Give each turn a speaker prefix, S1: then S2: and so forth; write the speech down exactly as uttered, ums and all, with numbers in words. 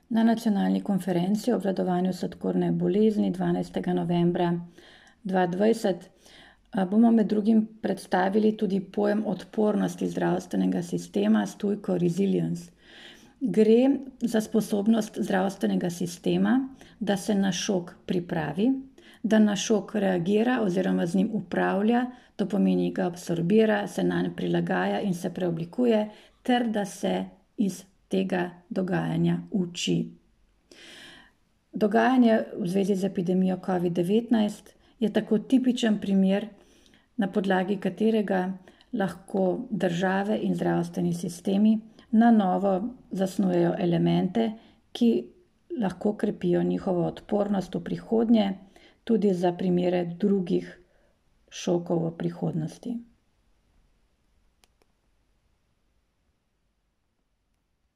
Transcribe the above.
S1: Na nacionalni konferenci o obvladovanju sladkorne bolezni dvanajstega novembra dva tisoč dvajset bomo med drugim predstavili tudi pojem odpornosti zdravstvenega sistema s tujko resilience. Gre za sposobnost zdravstvenega sistema, da se na šok pripravi, da na šok reagira oziroma z njim upravlja, to pomeni, ga absorbira, se nanj prilagaja in se preoblikuje, ter da se iz tega dogajanja uči. Dogajanje v zvezi z epidemijo covid devetnajst je tako tipičen primer, na podlagi katerega lahko države in zdravstveni sistemi na novo zasnujejo elemente, ki lahko krepijo njihovo odpornost v prihodnje, tudi za primere drugih šokov v prihodnosti.